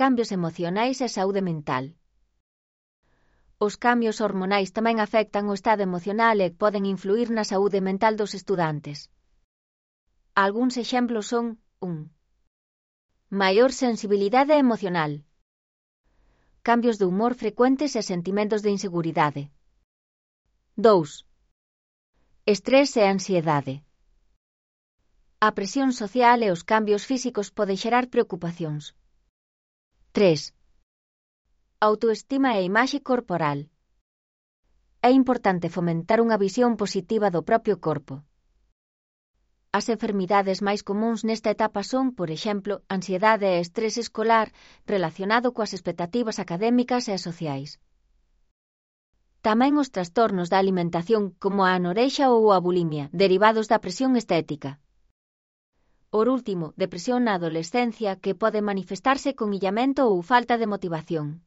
cambios emocionais e saúde mental. Os cambios hormonais tamén afectan o estado emocional e poden influir na saúde mental dos estudantes. Algúns exemplos son 1. Maior sensibilidade emocional. Cambios de humor frecuentes e sentimentos de inseguridade. 2. Estrés e ansiedade. A presión social e os cambios físicos poden xerar preocupacións. 3. Autoestima e imaxe corporal. É importante fomentar unha visión positiva do propio corpo. As enfermidades máis comúns nesta etapa son, por exemplo, ansiedade e estrés escolar relacionado coas expectativas académicas e sociais. Tamén os trastornos da alimentación como a anorexa ou a bulimia, derivados da presión estética. Por último, depresión na adolescencia que pode manifestarse con illamento ou falta de motivación.